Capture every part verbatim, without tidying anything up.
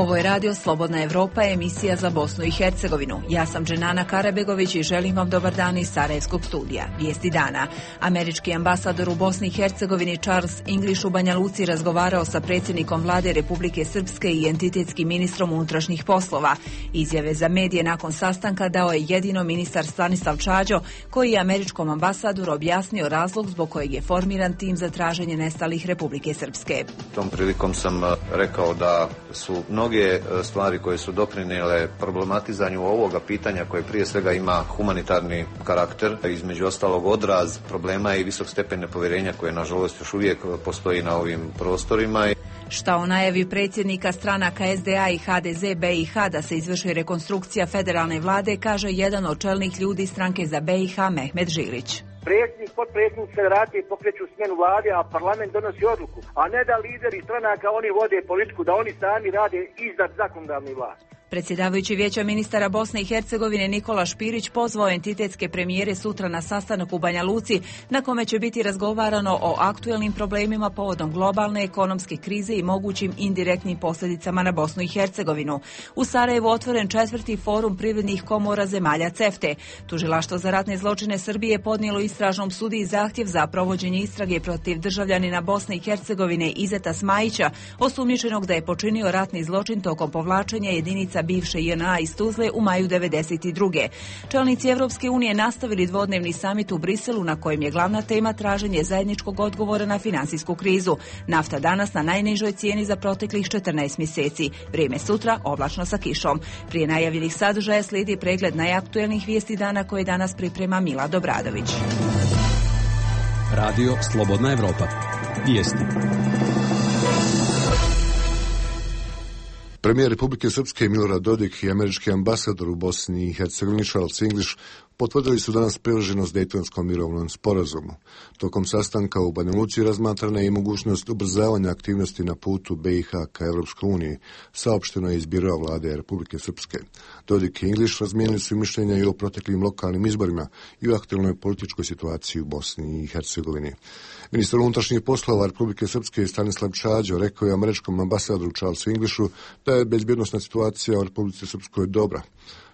Ovo je radio Slobodna Evropa, emisija za Bosnu i Hercegovinu. Ja sam Dženana Karabegović i želim vam dobar dan iz Sarajevskog studija. Vijesti dana. Američki ambasador u Bosni i Hercegovini Charles English u Banja Luci razgovarao sa predsjednikom vlade Republike Srpske i entitetskim ministrom unutrašnjih poslova. Izjave za medije nakon sastanka dao je jedino ministar Stanislav Čađo, koji je američkom ambasadoru objasnio razlog zbog kojeg je formiran tim za traženje nestalih Republike Srpske. Tom prilikom sam rekao da su mnoge stvari koje su doprinijele problematizanju ovoga pitanja koje prije svega ima humanitarni karakter, između ostalog odraz problema i visok stepen nepovjerenja koje nažalost još uvijek postoji na ovim prostorima. Šta o najavi predsjednika stranaka S D A i H D Z B i H da se izvrši rekonstrukcija federalne vlade, kaže jedan od čelnih ljudi stranke za B i H Mehmet Žilić. Predsjednik, potpredsjednik federacije pokreću smjenu vlade, a parlament donosi odluku, a ne da lideri stranaka oni vode politiku, da oni sami rade iznad zakonodavne vlasti. Predsjedavajući Vijeća ministara Bosne i Hercegovine Nikola Špirić pozvao entitetske premijere sutra na sastanak u Banja Luci, na kome će biti razgovarano o aktuelnim problemima povodom globalne ekonomske krize i mogućim indirektnim posljedicama na Bosnu i Hercegovinu. U Sarajevu otvoren četvrti forum privrednih komora zemalja CEFTA. Tužilaštvo za ratne zločine Srbije podnijelo istražnom sudiji zahtjev za provođenje istrage protiv državljanina Bosne i Hercegovine Izeta Smajića, osumnjičenog da je počinio ratni zločin tokom povlačenja jedinica bivše J N A iz Tuzle u maju devedeset druge. Čelnici Evropske unije nastavili dvodnevni samit u Briselu, na kojem je glavna tema traženje zajedničkog odgovora na finansijsku krizu. Nafta danas na najnižoj cijeni za proteklih četrnaest mjeseci. Vrijeme sutra oblačno sa kišom. Prije najavljenih sadržaja slijedi pregled najaktuelnih vijesti dana koje danas priprema Mila Dobradović. Radio Slobodna Evropa. Vijesti. Premijer Republike Srpske Milorad Dodik i američki ambasador u Bosni i Hercegovini Charles English potvrdili su danas privrženost Dejtonskom mirovnom sporazumu. Tokom sastanka u Banja Luci razmatrana je i mogućnost ubrzavanja aktivnosti na putu B i H ka Evropskoj uniji, saopšteno je iz biroa vlade Republike Srpske. Dodik i English razmijenili su mišljenja i o proteklim lokalnim izborima i o aktualnoj političkoj situaciji u Bosni i Hercegovini. Ministar unutrašnjih poslova Republike Srpske Stanislav Čađo rekao je američkom ambasadoru Charlesu Englishu da je bezbjednosna situacija u Republici Srpskoj dobra.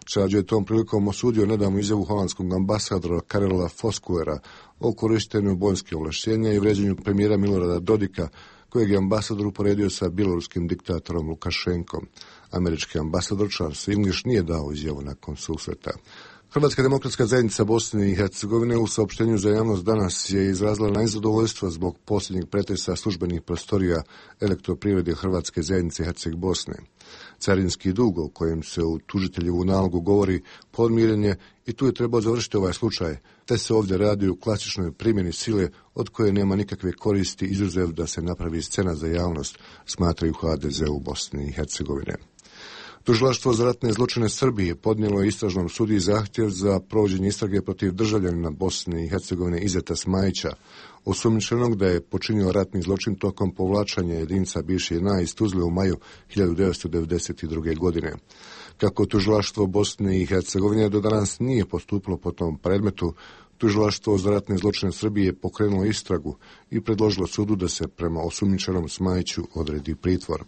Čađo je tom prilikom osudio nedavnu izjavu holandskog ambasadora Karela Foskulera o korištenju vojske ovlaštenja i vređanju premijera Milorada Dodika, kojeg je ambasador uporedio sa bjeloruskim diktatorom Lukašenkom. Američki ambasador Charles English nije dao izjavu nakon susreta. Hrvatska demokratska zajednica Bosne i Hercegovine u saopštenju za javnost danas je izrazila nezadovoljstvo zbog posljednjeg pretresa službenih prostorija Elektroprivrede Hrvatske zajednice Herceg Bosne. Carinski dug o kojem se u tužiteljevu nalogu govori podmiren je i tu je trebao završiti ovaj slučaj, te se ovdje radi o klasičnoj primjeni sile od koje nema nikakve koristi izuzev da se napravi scena za javnost, smatraju H D Z u Bosni i Hercegovine. Tužilaštvo za ratne zločine Srbije podnijelo je istražnom sudiji zahtjev za provođenje istrage protiv državljanina Bosne i Hercegovine Izeta Smajića, osumnjičenog da je počinio ratni zločin tokom povlačanja jedinica bivše J N A iz Tuzle u maju hiljadu devetsto devedeset druge. godine. Kako tužilaštvo Bosne i Hercegovine do danas nije postupilo po tom predmetu, Tužilaštvo za ratne zločine Srbije pokrenulo istragu i predložilo sudu da se prema osumnjičenom Smajiću odredi pritvor.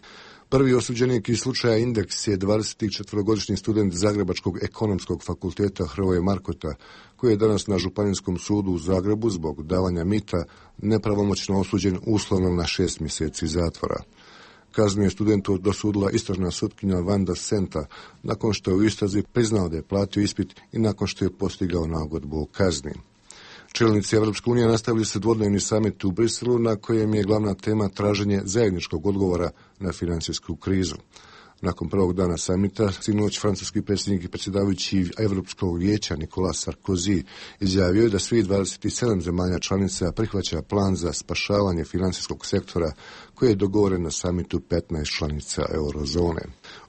Prvi osuđenik iz slučaja Indeks je dvadesetčetvorogodišnji student Zagrebačkog ekonomskog fakulteta Hrvoje Markota, koji je danas na Županijskom sudu u Zagrebu zbog davanja mita nepravomoćno osuđen uslovno na šest mjeseci zatvora. Kaznu je studentu dosudila istražna sutkinja Vanda Senta nakon što je u istrazi priznao da je platio ispit i nakon što je postigao nagodbu o kazni. Čelnici Evropske unije nastavili su dvodnevni samit u Briselu, na kojem je glavna tema traženje zajedničkog odgovora na financijsku krizu. Nakon prvog dana samita, sinoć francuski predsjednik i predsjedavajući Europskog vijeća Nicolas Sarkozy izjavio je da svih dvadeset sedam zemalja članica prihvaća plan za spašavanje financijskog sektora koji je dogovoren na samitu petnaest članica eurozone.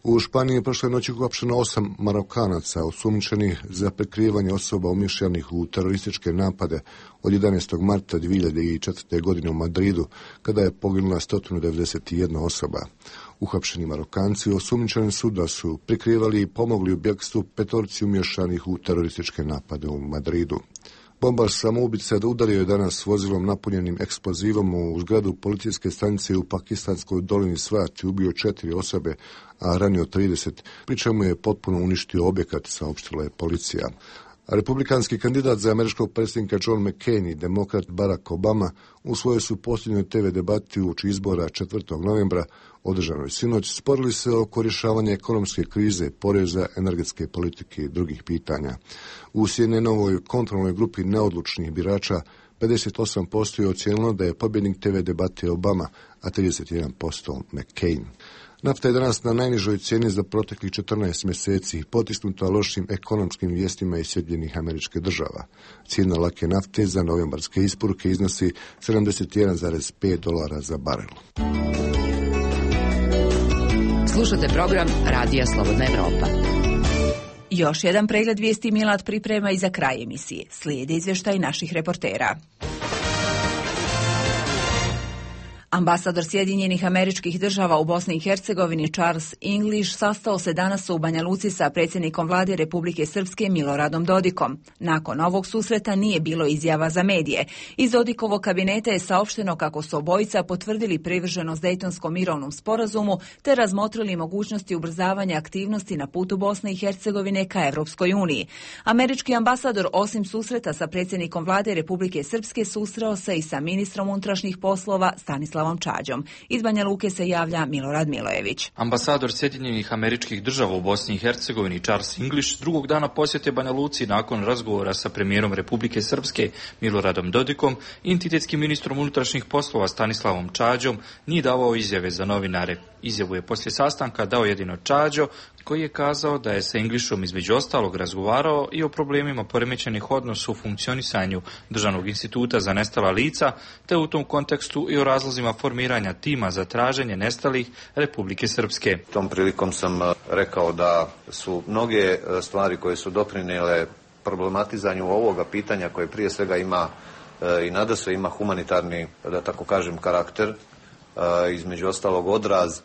U Španiji je prošle noći uhapšeno osam Marokanaca osumnjičenih za prikrivanje osoba umišljenih u terorističke napade od jedanaestog marta dvije hiljade četvrte. godine u Madridu, kada je poginula sto devedeset jedna osoba. Uhapšeni Marokanci osumnjičeni su da su prikrivali i pomogli u bjegstvu petorci umješanih u terorističke napade u Madridu. Bombaš samoubica udario je danas vozilom napunjenim eksplozivom u zgradu policijske stanice u pakistanskoj dolini Swat i ubio četiri osobe, a ranio trideset, pri čemu je potpuno uništio objekat, saopštila je policija. Republikanski kandidat za američkog predsjednika John McCain i demokrat Barack Obama u svojoj su posljednjoj te ve debati uoči izbora četvrtog novembra, održanoj sinoć, sporili se oko rješavanja ekonomske krize, poreza, energetske politike i drugih pitanja. U C N N-ovoj kontrolnoj grupi neodlučnih birača pedeset osam posto je ocijenilo da je pobjednik te ve debate Obama, a trideset jedan posto McCain. Nafta je danas na najnižoj cijeni za proteklih četrnaest mjeseci, potisnuta lošim ekonomskim vijestima iz Sjedinjenih Američke Država. Cijena lake nafte za novembarske isporuke iznosi sedamdeset jedan zarez pet dolara za barel. Slušate program Radija Slobodna Evropa. Još jedan pregled vijesti Milad priprema i za kraj emisije. Slijedi izvještaj naših reportera. Ambasador Sjedinjenih Američkih Država u Bosni i Hercegovini Charles English sastao se danas u Banja Luci sa predsjednikom vlade Republike Srpske Miloradom Dodikom. Nakon ovog susreta nije bilo izjava za medije. Iz Dodikovog kabineta je saopšteno kako su obojica potvrdili privrženost Dejtonskom mirovnom sporazumu te razmotrili mogućnosti ubrzavanja aktivnosti na putu Bosne i Hercegovine ka Evropskoj uniji. Američki ambasador osim susreta sa predsjednikom vlade Republike Srpske susreo se i sa ministrom unutrašnjih poslova Stanislavom Čađom. Iz Banja Luke se javlja Milorad Milojević. Ambasador Sjedinjenih Američkih Država u Bosni i Hercegovini Charles English drugog dana posjete Banja Luci nakon razgovora sa premijerom Republike Srpske Miloradom Dodikom i entitetskim ministrom unutrašnjih poslova Stanislavom Čađom nije davao izjave za novinare. Izjavu je poslije sastanka dao jedino Čađo, koji je kazao da je sa Englishom između ostalog razgovarao i o problemima poremećenih odnosa u funkcionisanju Državnog instituta za nestala lica, te u tom kontekstu i o razlozima formiranja tima za traženje nestalih Republike Srpske. Tom prilikom sam rekao da su mnoge stvari koje su doprinijele problematizanju ovoga pitanja, koje prije svega ima i nadasve ima humanitarni, da tako kažem, karakter, između ostalog odraz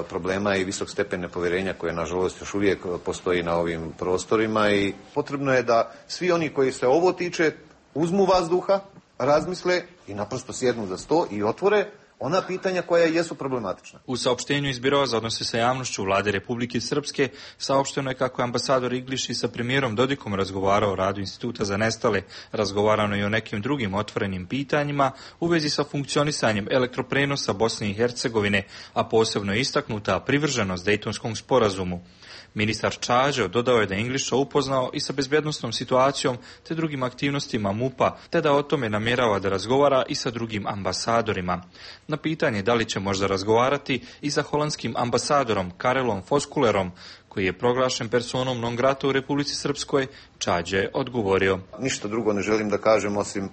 problema i visok stepen nepovjerenja koje nažalost još uvijek postoji na ovim prostorima, i potrebno je da svi oni koji se ovo tiče uzmu vazduha, razmisle i naprosto sjednu za sto i otvore ona pitanja koja jesu problematična. U saopštenju iz Biroa za odnose sa javnošću vlade Republike Srpske saopšteno je kako je ambasador English i sa premijerom Dodikom razgovarao o radu Instituta za nestale, razgovarano i o nekim drugim otvorenim pitanjima u vezi sa funkcionisanjem elektroprenosa Bosne i Hercegovine, a posebno je istaknuta privrženost Dejtonskom sporazumu. Ministar Čađo dodao je da je Englisha upoznao i sa bezbjednosnom situacijom te drugim aktivnostima M U P-a, te da o tome namjerava da razgovara i sa drugim ambasadorima. Na pitanje da li će možda razgovarati i sa holandskim ambasadorom Karelom Foskulerom, koji je proglašen personom non grata u Republici Srpskoj, Čađe je odgovorio: ništa drugo ne želim da kažem osim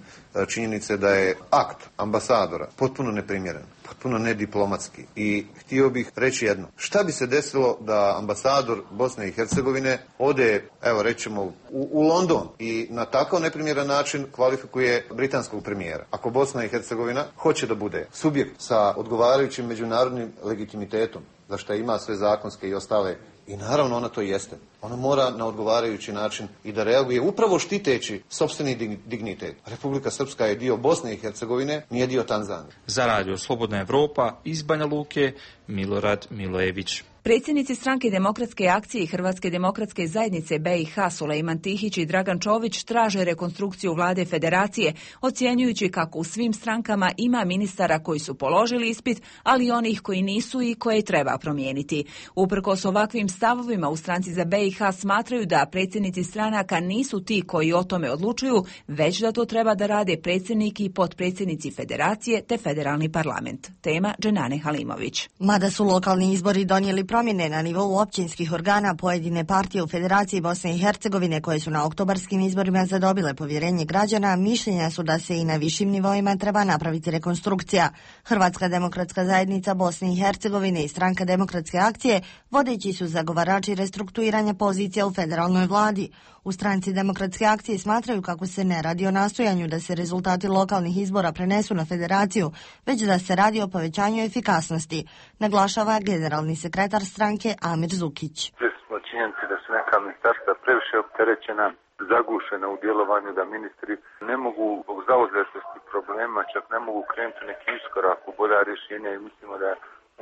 činjenice da je akt ambasadora potpuno neprimjeren, potpuno nediplomatski, i htio bih reći jedno. Šta bi se desilo da ambasador Bosne i Hercegovine ode, evo rećemo, u, u London i na takav neprimjeran način kvalifikuje britanskog premijera? Ako Bosna i Hercegovina hoće da bude subjekt sa odgovarajućim međunarodnim legitimitetom, za što ima sve zakonske i ostale, i naravno ona to jeste, ona mora na odgovarajući način i da reaguje upravo štiteći sopstveni dignitet. Republika Srpska je dio Bosne i Hercegovine, nije dio Tanzanije. Za Radio Slobodna Evropa iz Banja Luke, Milorad Milojević. Predsjednici Stranke demokratske akcije i Hrvatske demokratske zajednice B i H Sulejman Tihić i Dragan Čović traže rekonstrukciju vlade federacije, ocjenjujući kako u svim strankama ima ministara koji su položili ispit, ali i onih koji nisu i koje treba promijeniti. Uprkos ovakvim stavovima u Stranci za B i H smatraju da predsjednici stranaka nisu ti koji o tome odlučuju, već da to treba da rade predsjednik i potpredsjednici federacije te federalni parlament. Tema Dženane Halimović. Mada su lokalni izbori donijeli promjene na nivou općinskih organa, pojedine partije u Federaciji Bosne i Hercegovine koje su na oktobarskim izborima zadobile povjerenje građana, mišljenja su da se i na višim nivoima treba napraviti rekonstrukcija. Hrvatska demokratska zajednica Bosne i Hercegovine i Stranka demokratske akcije vodeći su zagovarači restrukturiranja pozicija u federalnoj vladi. U Stranci demokratske akcije smatraju kako se ne radi o nastojanju da se rezultati lokalnih izbora prenesu na federaciju, već da se radi o povećanju efikasnosti, naglašava generalni sekretar stranke Amir Zukić. Smo činjenici da su neka ministarstva previše opterećena zagušena u djelovanju, da ministri ne mogu zbog zauzetosti problema, čak ne mogu krenuti neki iskorak u bolja rješenja i mislimo da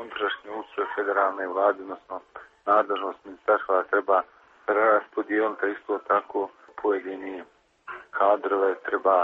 unutrašnji ustroj federalne vlade, odnosno nadležnost ministarstva treba preraspodijeliti, isto tako pojedini kadrove treba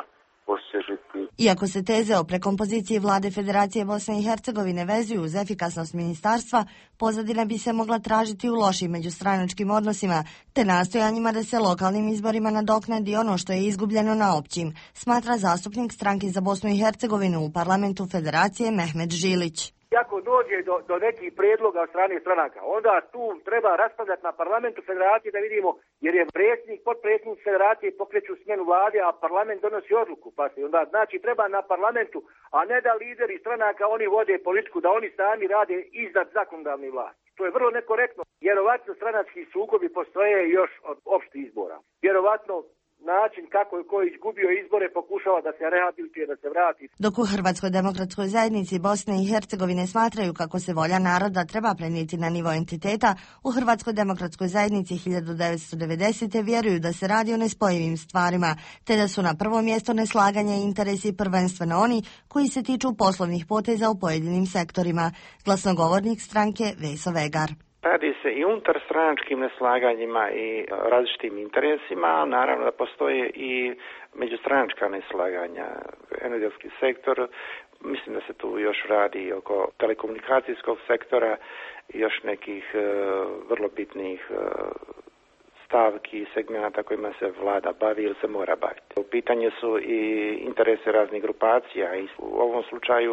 osvježiti. Iako se teze o prekompoziciji vlade Federacije Bosne i Hercegovine vezuju uz efikasnost ministarstva, pozadina bi se mogla tražiti u lošim međustranačkim odnosima, te nastojanjima da se lokalnim izborima nadoknadi ono što je izgubljeno na općim, smatra zastupnik Stranke za Bosnu i Hercegovinu u parlamentu Federacije Mehmet Žilić. Ako dođe do, do nekih prijedloga od strane stranaka, onda tu treba raspravljati na parlamentu Federacije da vidimo, jer je predsjednik, potpredsjednik Federacije pokreću smjenu vlade, a parlament donosi odluku. Pa se onda znači treba na parlamentu, a ne da lideri stranaka oni vode politiku, da oni sami rade iznad zakonodavne vlasti. To je vrlo nekorektno. Vjerovatno stranački sukobi postoje još od opštih izbora. Vjerovatno način kako je ko izgubio izbore pokušava da se rehabilituje, da se vrati. Dok u Hrvatskoj demokratskoj zajednici Bosne i Hercegovine smatraju kako se volja naroda treba prenijeti na nivo entiteta, u Hrvatskoj demokratskoj zajednici hiljadu devetsto devedesete. vjeruju da se radi o nespojivim stvarima, te da su na prvo mjesto neslaganja i interesi prvenstveno oni koji se tiču poslovnih poteza u pojedinim sektorima. Glasnogovornik stranke Veso Vegar. Radi se i unutar stranačkim neslaganjima i različitim interesima, naravno da postoje i međustranačka neslaganja. Energetski sektor, mislim da se tu još radi oko telekomunikacijskog sektora i još nekih uh, vrlo bitnih uh, stavki i segmenata kojima se vlada bavi ili se mora baviti. U pitanju su i interese raznih grupacija i u ovom slučaju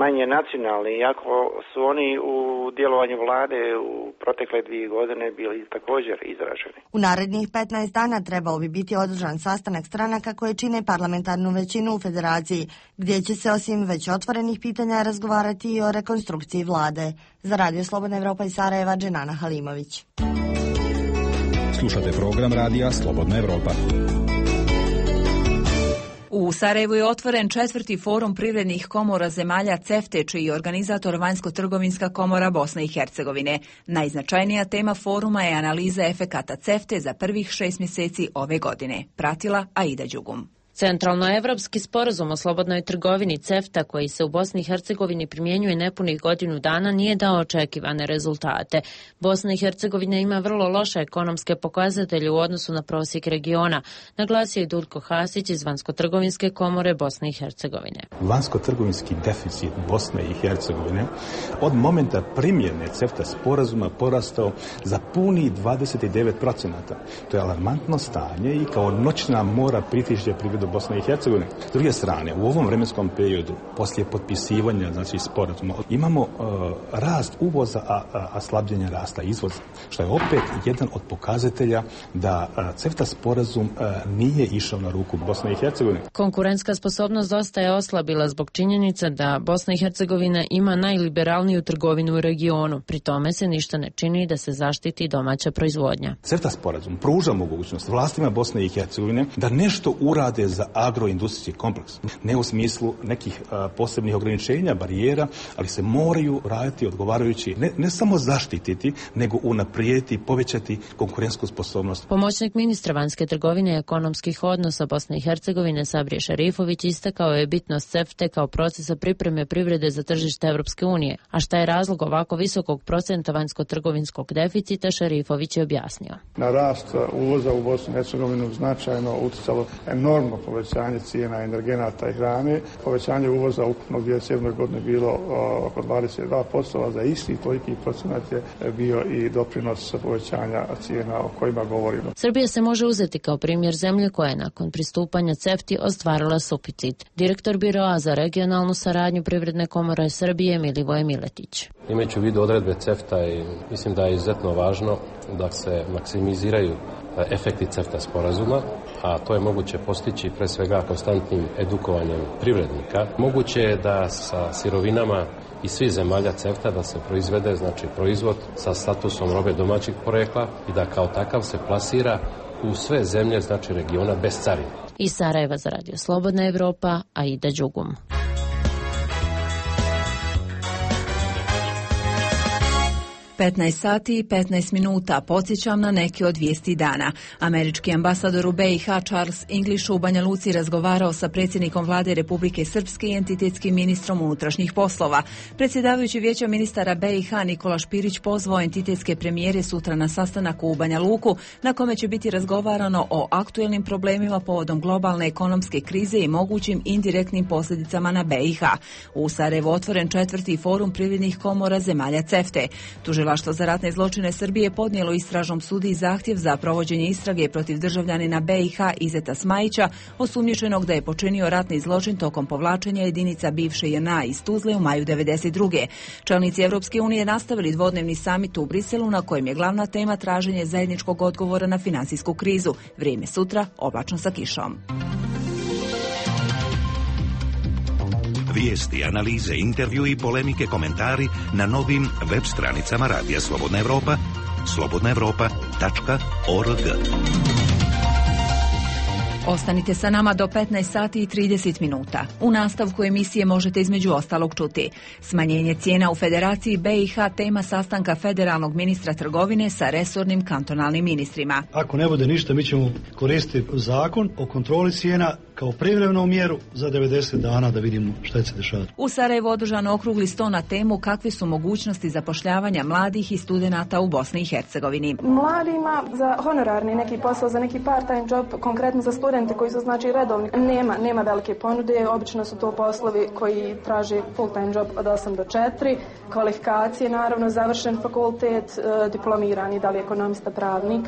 manje nacionalni, iako su oni u djelovanju vlade u protekle dvije godine bili također izraženi. U narednih petnaest dana trebao bi biti održan sastanak stranaka koje čine parlamentarnu većinu u Federaciji, gdje će se osim već otvorenih pitanja razgovarati i o rekonstrukciji vlade. Za Radio Slobodna Evropa iz Sarajeva, Dženana Halimović. Slušate program Radija Slobodna Evropa. U Sarajevu je otvoren četvrti forum privrednih komora zemalja CEFTA, čiji je organizator Vanjsko-trgovinska komora Bosne i Hercegovine. Najznačajnija tema foruma je analiza efekata CEFTA za prvih šest mjeseci ove godine. Pratila Aida Đugum. Centralnoevropski sporazum o slobodnoj trgovini CEFTA, koji se u Bosni i Hercegovini primjenjuje nepunih godinu dana, nije dao očekivane rezultate. Bosna i Hercegovina ima vrlo loše ekonomske pokazatelje u odnosu na prosjek regiona, naglasio je Dulko Hasić iz Vanjsko-trgovinske komore Bosne i Hercegovine. Vanjsko-trgovinski deficit Bosne i Hercegovine od momenta primjene CEFTA sporazuma porastao za puni dvadeset devet procenata. To je alarmantno stanje i kao noćna mora pritišće privredu Bosne i Hercegovine. S druge strane, u ovom vremenskom periodu, poslije potpisivanja, znači sporazuma, imamo uh, rast uvoza, a, a, a slabljenje rasta izvoza, što je opet jedan od pokazatelja da uh, CEFTA sporazum uh, nije išao na ruku Bosne i Hercegovine. Konkurentska sposobnost dosta je oslabila zbog činjenice da Bosna i Hercegovina ima najliberalniju trgovinu u regionu. Pri tome se ništa ne čini da se zaštiti domaća proizvodnja. CEFTA sporazum pruža mogućnost vlastima Bosne i Hercegovine da nešto urade za agroindustrijski kompleks. Ne u smislu nekih a, posebnih ograničenja, barijera, ali se moraju raditi odgovarajući, ne, ne samo zaštititi, nego unaprijediti, povećati konkurentsku sposobnost. Pomoćnik ministra vanjske trgovine i ekonomskih odnosa Bosne i Hercegovine Sabrije Šarifović istakao je bitnost CEFTA kao procesa pripreme privrede za tržište Evropske unije. A šta je razlog ovako visokog procenta vanjsko-trgovinskog deficita, Šarifović je objasnio. Na rast uvoza u Bosnu i Hercegovinu značajno utjecalo enormno povećanje cijena energenata i hrane. Povećanje uvoza ukupno u dvije tisuće sedmoj godini bilo oko dvadeset dva posto, a za isti toliki procenat je bio i doprinos povećanja cijena o kojima govorimo. Srbija se može uzeti kao primjer zemlje koja je nakon pristupanja CEFTA ostvarila suficit. Direktor Biroa za regionalnu saradnju Privredne komore Srbije Milivoje Miletić. Imajući u vidu odredbe CEFTA, i mislim da je izuzetno važno da se maksimiziraju efekti CEFTA sporazuma, a to je moguće postići pre svega konstantnim edukovanjem privrednika. Moguće je da sa sirovinama iz svih zemalja CEFTA da se proizvede, znači proizvod sa statusom robe domaćeg porekla i da kao takav se plasira u sve zemlje, znači regiona, bez carine. Iz Sarajeva za Radio Slobodna Evropa, Aida Đugum. petnaest sati i petnaest minuta. Podsjećam na neke od vijesti dana. Američki ambasador u B i H Charles English u Banja Luci razgovarao sa predsjednikom vlade Republike Srpske i entitetskim ministrom unutrašnjih poslova. Predsjedavajući vijeća ministara B i H Nikola Špirić pozvao entitetske premijere sutra na sastanak u Banja Luku, na kome će biti razgovarano o aktuelnim problemima povodom globalne ekonomske krize i mogućim indirektnim posljedicama na B i H. U Sarajevu otvoren četvrti forum privrednih komora zemalja CEFTA-e. Tužilaštvo za ratne zločine Srbije podnijelo istražnom sudiji zahtjev za provođenje istrage protiv državljanina B i H Izeta Smajića, osumnjičenog da je počinio ratni zločin tokom povlačenja jedinica bivše J N A iz Tuzle u maju devedeset druge. Čelnici Europske unije nastavili dvodnevni samit u Briselu, na kojem je glavna tema traženje zajedničkog odgovora na finansijsku krizu. Vrijeme sutra oblačno sa kišom. Vijesti, analize, intervju i polemike, komentari na novim web stranicama Radija Slobodna Evropa, slobodna evropa tačka org. Ostanite sa nama do petnaest sati i trideset minuta. U nastavku emisije možete između ostalog čuti: smanjenje cijena u Federaciji B i H tema sastanka federalnog ministra trgovine sa resornim kantonalnim ministrima. Ako ne bude ništa, mi ćemo koristiti zakon o kontroli cijena kao privremenu mjeru za devedeset dana da vidimo šta će se dešavati. U Sarajevu održan okrugli sto na temu kakve su mogućnosti zapošljavanja mladih i studenata u Bosni i Hercegovini. Mladima za honorarni neki posao, za neki part-time job, konkretno za studente koji su znači redovni, nema, nema velike ponude. Obično su to poslovi koji traže full-time job od osam do četiri. Kvalifikacije, naravno, završen fakultet, diplomirani, da li ekonomista, pravnik.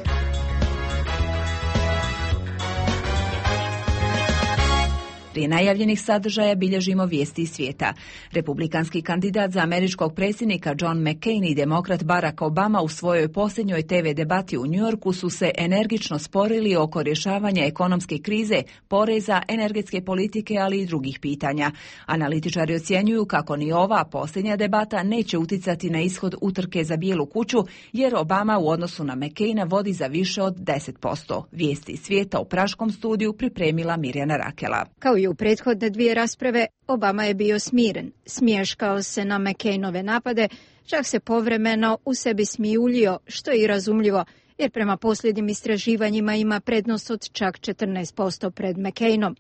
Prije najavljenih sadržaja bilježimo vijesti iz svijeta. Republikanski kandidat za američkog predsjednika John McCain i demokrat Barack Obama u svojoj posljednjoj T V debati u Njujorku su se energično sporili oko rješavanja ekonomske krize, poreza, energetske politike, ali i drugih pitanja. Analitičari ocjenjuju kako ni ova posljednja debata neće uticati na ishod utrke za Bijelu kuću, jer Obama u odnosu na McCaina vodi za više od deset posto. Vijesti iz svijeta u praškom studiju pripremila Mirjana Rakela. Kao i u prethodne dvije rasprave, Obama je bio smiren, smješkao se na McCainove napade, čak se povremeno u sebi smijuljio, što je i razumljivo, jer prema posljednjim istraživanjima ima prednost od čak četrnaest posto pred McCainom.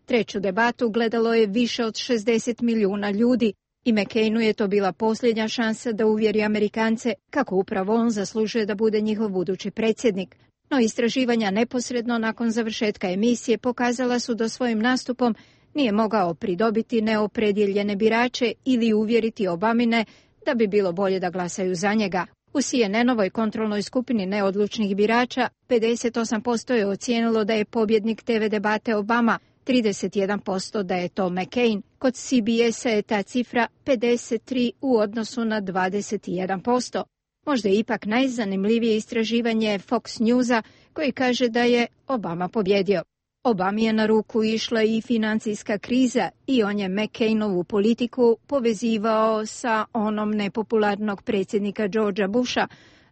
Treću debatu gledalo je više od šezdeset milijuna ljudi i McCainu je to bila posljednja šansa da uvjeri Amerikance kako upravo on zaslužuje da bude njihov budući predsjednik. No istraživanja neposredno nakon završetka emisije pokazala su da svojim nastupom nije mogao pridobiti neopredjeljene birače ili uvjeriti Obamine da bi bilo bolje da glasaju za njega. U C N N-ovoj kontrolnoj skupini neodlučnih birača pedeset osam posto je ocijenilo da je pobjednik T V debate Obama, trideset jedan posto da je to McCain. Kod C B S-a je ta cifra pedeset tri u odnosu na dvadeset jedan posto. Možda je ipak najzanimljivije istraživanje Fox Newsa koji kaže da je Obama pobjedio. Obami je na ruku išla i financijska kriza i on je McCainovu politiku povezivao sa onom nepopularnog predsjednika Georgea Busha,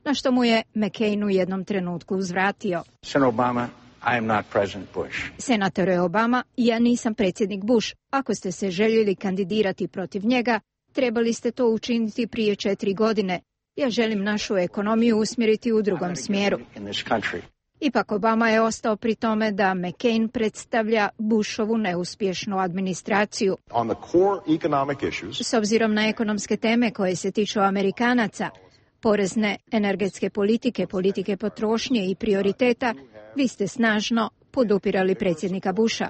na što mu je McCain u jednom trenutku uzvratio. Senator Obama, I am not President Bush. Senatore Obama, ja nisam predsjednik Bush. Ako ste se željeli kandidirati protiv njega, trebali ste to učiniti prije četiri godine. Ja želim našu ekonomiju usmjeriti u drugom smjeru. Ipak Obama je ostao pri tome da McCain predstavlja Bushovu neuspješnu administraciju. S obzirom na ekonomske teme koje se tiču Amerikanaca, porezne, energetske politike, politike potrošnje i prioriteta, vi ste snažno podupirali predsjednika Busha.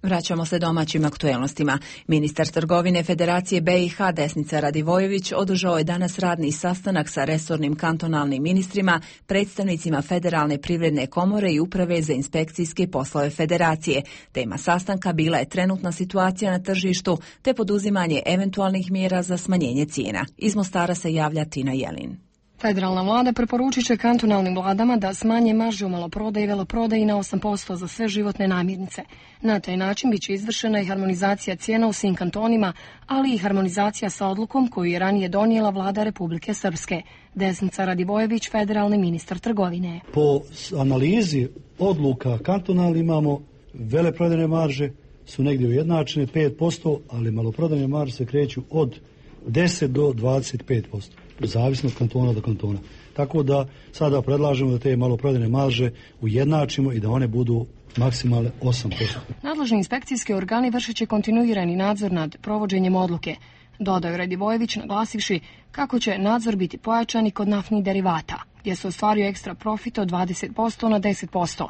Vraćamo se domaćim aktuelnostima. Ministar trgovine Federacije B i H Desnica Radivojević održao je danas radni sastanak sa resornim kantonalnim ministrima, predstavnicima Federalne privredne komore i Uprave za inspekcijske poslove Federacije. Tema sastanka bila je trenutna situacija na tržištu te poduzimanje eventualnih mjera za smanjenje cijena. Iz Mostara se javlja Tina Jelin. Federalna vlada preporučit će kantonalnim vladama da smanje marže u maloprodaji i veleprodaji na osam posto za sve životne namirnice. Na taj način biće izvršena i harmonizacija cijena u svim kantonima, ali i harmonizacija sa odlukom koju je ranije donijela vlada Republike Srpske. Desnica Radivojević, federalni ministar trgovine. Po analizi odluka kantonalni imamo veleprodajne marže su negdje ujednačene pet posto, ali maloprodajne marže se kreću od deset do dvadeset pet posto, zavisno od kantona do kantona. Tako da sada predlažemo da te maloprodajne marže ujednačimo i da one budu maksimalne osam posto. Nadležni inspekcijski organi vršit će kontinuirani nadzor nad provođenjem odluke, dodao Radivojević naglasivši kako će nadzor biti pojačan i kod naftnih derivata, gdje se ostvario ekstra profit od dvadeset posto na deset posto.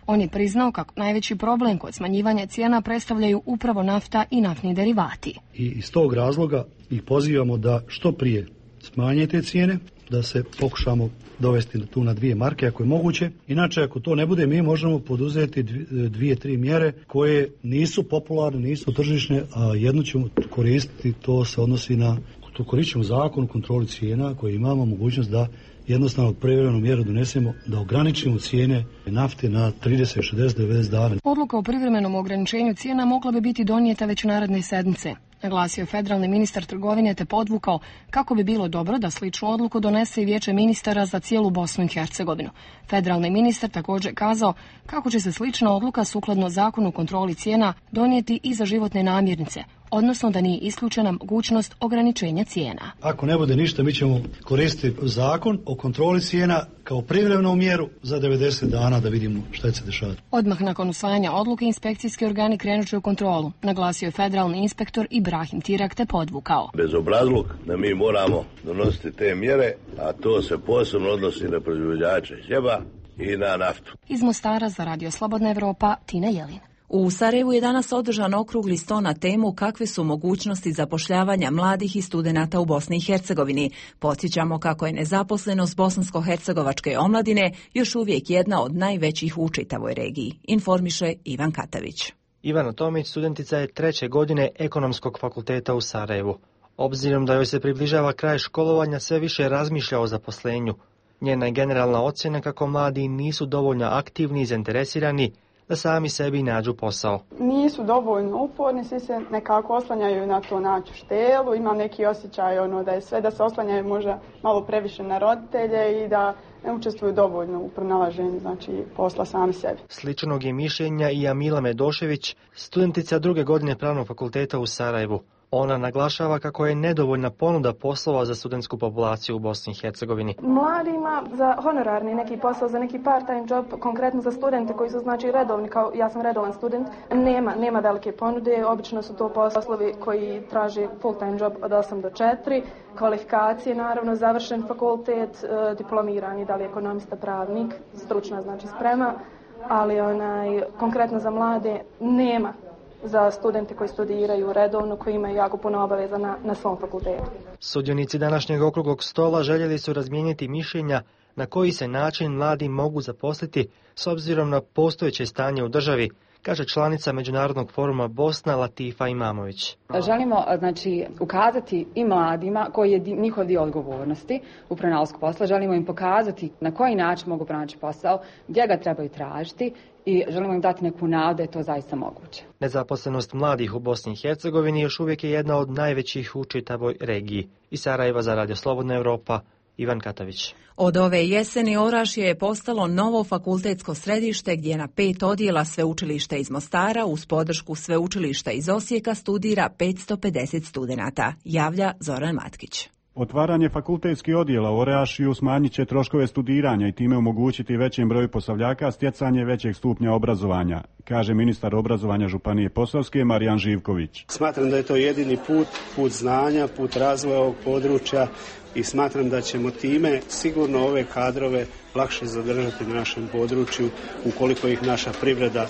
On je priznao kako najveći problem kod smanjivanja cijena predstavljaju upravo nafta i naftni derivati. I iz tog razloga ih pozivamo da što prije smanje te cijene, da se pokušamo dovesti tu na dvije marke ako je moguće. Inače, ako to ne bude, mi možemo poduzeti dvije, tri mjere koje nisu popularne, nisu tržišne, a jednu ćemo koristiti, to se odnosi na, to koristit zakon o kontroli cijena koji imamo mogućnost da jednostavno privremenu mjeru donesemo, da ograničimo cijene nafte na trideset, šezdeset, devedeset dana. Odluka o privremenom ograničenju cijena mogla bi biti donijeta već naredne sedmice, naglasio federalni ministar trgovine te podvukao kako bi bilo dobro da sličnu odluku donese i Vijeće ministara za cijelu Bosnu i Hercegovinu. Federalni ministar također kazao kako će se slična odluka sukladno zakonu o kontroli cijena donijeti i za životne namirnice, odnosno da nije isključena mogućnost ograničenja cijena. Ako ne bude ništa, mi ćemo koristiti zakon o kontroli cijena kao privremenu mjeru za devedeset dana da vidimo šta će se dešavati. Odmah nakon usvajanja odluke inspekcijski organi krenut će u kontrolu, naglasio je federalni inspektor Ibrahim Tirak te podvukao. Bezobrazluk da mi moramo donositi te mjere, a to se posebno odnosi na proizvođače hljeba i na naftu. Iz Mostara za Radio Slobodna Evropa, Tina Jelin. U Sarajevu je danas održan okrugli sto na temu kakve su mogućnosti zapošljavanja mladih i studenata u Bosni i Hercegovini. Podsjećamo kako je nezaposlenost bosansko-hercegovačke omladine još uvijek jedna od najvećih u čitavoj regiji. Informiše Ivan Katavić. Ivana Tomić studentica je treće godine Ekonomskog fakulteta u Sarajevu. Obzirom da joj se približava kraj školovanja, sve više razmišlja o zaposlenju. Njena je generalna ocjena kako mladi nisu dovoljno aktivni i zainteresirani da sami sebi nađu posao. Nisu dovoljno uporni, svi se nekako oslanjaju na to naću štelu, imam neki osjećaj ono, da je sve da se oslanjaju možda malo previše na roditelje i da ne učestvuju dovoljno u pronalaženju znači, posla sami sebi. Sličnog je mišljenja i Amila Medošević, studentica druge godine Pravnog fakulteta u Sarajevu. Ona naglašava kako je nedovoljna ponuda poslova za studentsku populaciju u Bosni i Hercegovini. Mladima za honorarni neki posao, za neki part-time job, konkretno za studente koji su znači redovni, kao ja sam redovan student, nema, nema velike ponude. Obično su to poslovi koji traže full-time job od osam do četiri, kvalifikacije, naravno, završen fakultet, diplomirani, da li ekonomista, pravnik, stručna znači sprema, ali onaj, konkretno za mlade nema. Za studente koji studiraju redovno, koji imaju jako puno obaveza na, na svom fakultetu. Sudionici današnjeg okruglog stola željeli su razmijeniti mišljenja na koji se način mladi mogu zaposliti s obzirom na postojeće stanje u državi, kaže članica Međunarodnog foruma Bosna Latifa Imamović. Želimo znači ukazati i mladima koji je njihov dio odgovornosti u pronalasku posla. Želimo im pokazati na koji način mogu pronaći posao, gdje ga trebaju tražiti i želimo im dati neku nadu da je to zaista moguće. Nezaposlenost mladih u Bosni i Hercegovini još uvijek je jedna od najvećih u čitavoj regiji. Iz Sarajeva za Radio Slobodna Evropa, Ivan Katavić. Od ove jeseni Orašje je postalo novo fakultetsko središte gdje na pet odjela sveučilišta iz Mostara uz podršku sveučilišta iz Osijeka studira petsto pedeset studenata, javlja Zoran Matkić. Otvaranje fakultetskih odjela u Orašju smanjit će troškove studiranja i time omogućiti većem broju posavljaka stjecanje većeg stupnja obrazovanja, kaže ministar obrazovanja Županije Posavske Marijan Živković. Smatram da je to jedini put, put znanja, put razvoja ovog područja i smatram da ćemo time sigurno ove kadrove lakše zadržati na našem području ukoliko ih naša privreda,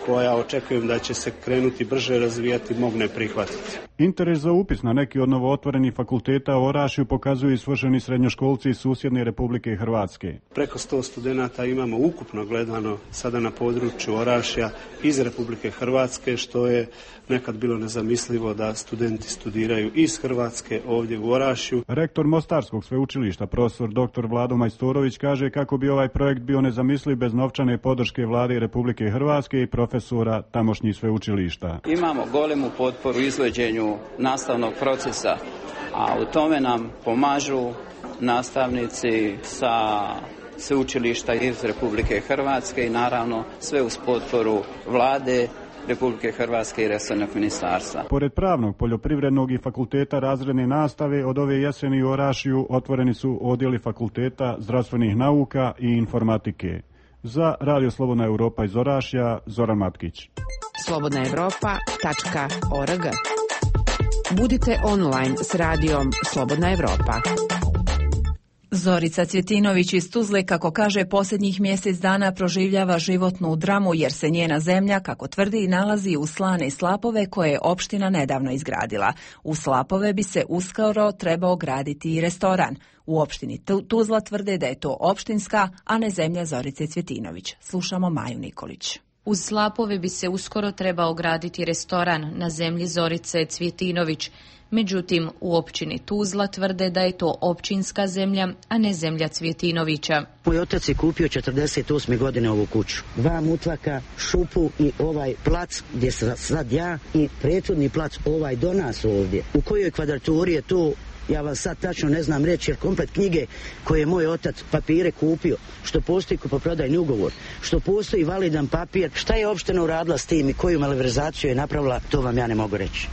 koja očekujem da će se krenuti brže razvijati, mogne prihvatiti. Interes za upis na neki od novootvorenih fakulteta u Orašju pokazuju i svršeni srednjoškolci iz susjedne Republike Hrvatske. Preko sto studenata imamo ukupno gledano sada na području Orašja iz Republike Hrvatske, što je nekad bilo nezamislivo da studenti studiraju iz Hrvatske ovdje u Orašju. Rektor Mostarskog sveučilišta, profesor doktor Vlado Majstorović, kaže kako bi ovaj projekt bio nezamisliv bez novčane podrške Vlade Republike Hrvatske i profesora tamošnjih sveučilišta. Imamo golemu potporu izvođenju nastavnog procesa, a u tome nam pomažu nastavnici sa sveučilišta iz Republike Hrvatske i naravno sve uz potporu Vlade Republike Hrvatske i resornog ministarstva. Pored pravnog, poljoprivrednog i fakulteta razredne nastave, od ove jeseni u Orašiju otvoreni su odjeli fakulteta zdravstvenih nauka i informatike. Za Radio Slobodna Europa iz Orašja, Zoran Matkić. slobodna europa tačka org. Budite online s radijom Slobodna Europa. Zorica Cvjetinović iz Tuzle, kako kaže, posljednjih mjesec dana proživljava životnu dramu jer se njena zemlja, kako tvrdi, nalazi u slane slapove koje je opština nedavno izgradila. U slapove bi se uskoro trebao graditi i restoran. U opštini Tuzla tvrde da je to opštinska, a ne zemlja Zorice Cvjetinović. Slušamo Maju Nikolić. Uz slapove bi se uskoro trebao graditi restoran na zemlji Zorice Cvjetinović. Međutim, u općini Tuzla tvrde da je to općinska zemlja, a ne zemlja Cvjetinovića. Moj otac je kupio četrdeset osme godine ovu kuću. Dva mutlaka, šupu i ovaj plac gdje sam sad ja i prethodni plac ovaj do nas ovdje. U kojoj kvadraturi je to, ja vam sad tačno ne znam reći, jer komplet knjige koje je moj otac papire kupio, što postoji kupoprodajni ugovor, što postoji validan papir, šta je opština uradila s tim i koju malverzaciju je napravila, to vam ja ne mogu reći.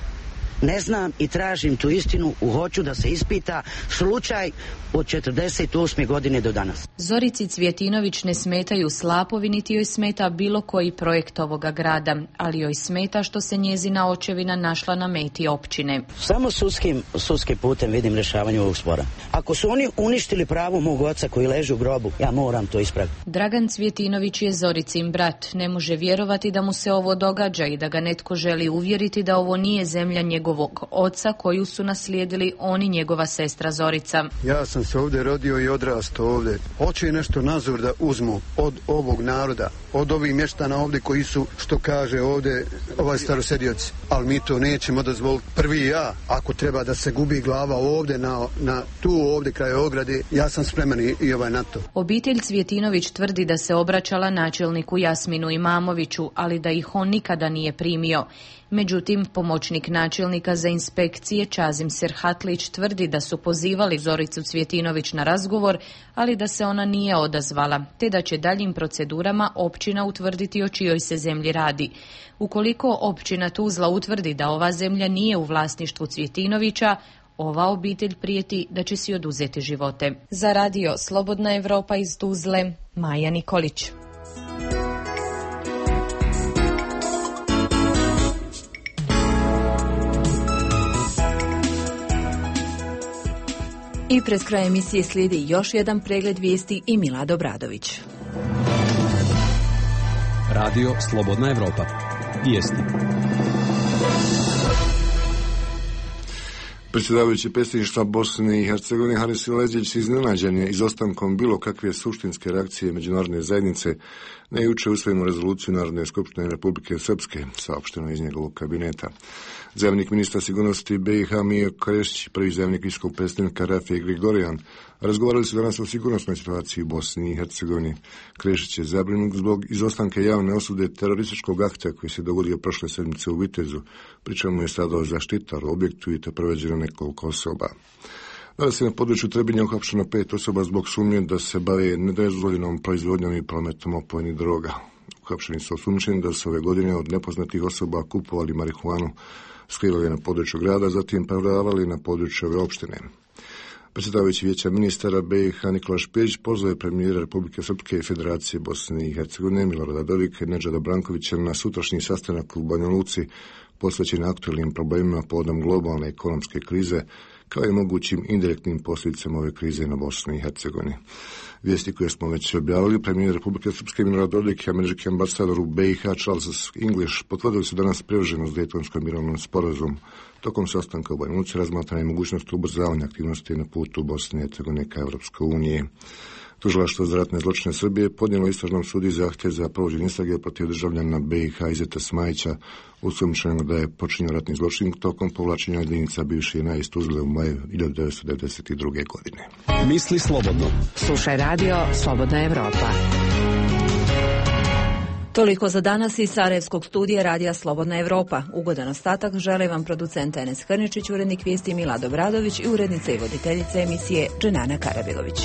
Ne znam i tražim tu istinu, hoću da se ispita slučaj od četrdeset osme godine do danas. Zorici Cvjetinović ne smetaju slapovi, niti joj smeta bilo koji projekt ovoga grada, ali joj smeta što se njezina očevina našla na meti općine. Samo sudskim, sudskim putem vidim rješavanje ovog spora. Ako su oni uništili pravo mog oca koji leži u grobu, ja moram to ispraviti. Dragan Cvjetinović je Zoricin brat. Ne može vjerovati da mu se ovo događa i da ga netko želi uvjeriti da ovo nije zemlja njegovog oca koju su naslijedili on i njegova sestra Zorica. Ja sam se ovdje rodio i odrastao ovdje. Hoće nešto nazor da uzmu od ovog naroda, od ovih mještana ovdje koji su, što kaže ovdje ovaj starosedioci. Ali mi to nećemo dozvoliti. Prvi ja, ako treba da se gubi glava ovdje, na, na tu ovdje kraj ograde, ja sam spreman i, i ovaj na to. Obitelj Cvjetinović tvrdi da se obraćala načelniku Jasminu Imamoviću, ali da ih on nikada nije primio. Međutim, pomoćnik načelnika za inspekcije Čazim Serhatlić tvrdi da su pozivali Zoricu Cvjetinović na razgovor, ali da se ona nije odazvala, te da će daljim procedurama općina utvrditi o čijoj se zemlji radi. Ukoliko općina Tuzla utvrdi da ova zemlja nije u vlasništvu Cvjetinovića, ova obitelj prijeti da će si oduzeti živote. Za radio Slobodna Europa iz Tuzle, Maja Nikolić. I pred kraj emisije slijedi još jedan pregled vijesti i Milad Obradović. Radio Slobodna Europa. Vijesti. Predsjedavajući predsjedništva Bosne i Hercegovine Haris Silezić iznenađen je izostankom bilo kakve suštinske reakcije međunarodne zajednice na jučer usvojenu rezoluciju Narodne skupštine Republike Srpske, saopšteno iz njegovog kabineta. Zamjenik ministra sigurnosti B i H Mio Krešić, prvi zamjenik visokog predstavnika Rafije Grigorijan, razgovarali su danas o sigurnosnoj situaciji u Bosni i Hercegovini. Krešić je zabrinut zbog izostanka javne osude terorističkog akta koji se dogodio prošle sedmice u Vitezu, pri čemu je stradao zaštitar u objektu i to proveđeno nekoliko osoba. Danas je na području Trebinja uhapšeno pet osoba zbog sumnje da se bave nedozvoljenom proizvodnjom i prometom opojnih droga. Uhapšeni su osumnjičeni da su ove godine od nepoznatih osoba kupovali marihuanu, skrivali na području grada, zatim prodavali na području ove opštine. Predsjedavajući vijeća ministara B i H Nikola Špirić pozvao je premijera Republike Srpske i Federacije Bosne i Hercegovine Milorada Dodika i Nedžada Brankovića na sutrašnji sastanak u Banja Luci posvećen aktualnim problemima povodom globalne ekonomske krize, kao i mogućim indirektnim posljedicama ove krize na Bosni i Hercegovini. Vijesti koje smo već objavili, premijer Republike Srpske Milorad Dodik i američki ambasador u B i H Charles English potvrdili su danas privrženost Dejtonskom mirovnom sporazumu. Tokom sastanka u Banja Luci razmatrana je mogućnost ubrzavanja aktivnosti na putu Bosne i Hercegovine ka Evropskoj uniji. Tužilaštvo za ratne zločine Srbije podnijelo istražnom sudu zahtjev za provođenje istrage protiv državljana B i H Izeta Smajića, osumnjičenog da je počinio ratni zločin tokom povlačenja jedinica bivše JNA iz Tuzle u maju hiljadu devetsto devedeset druge. godine. Misli slobodno. Slušaj radio Slobodna Europa. Toliko za danas iz Sarajevskog studija Radija Slobodna Europa. Ugodan ostatak žele vam producent Enes Hrničić, urednik vijesti Milad Obradović i urednica i voditeljica emisije Dženana Karabilović.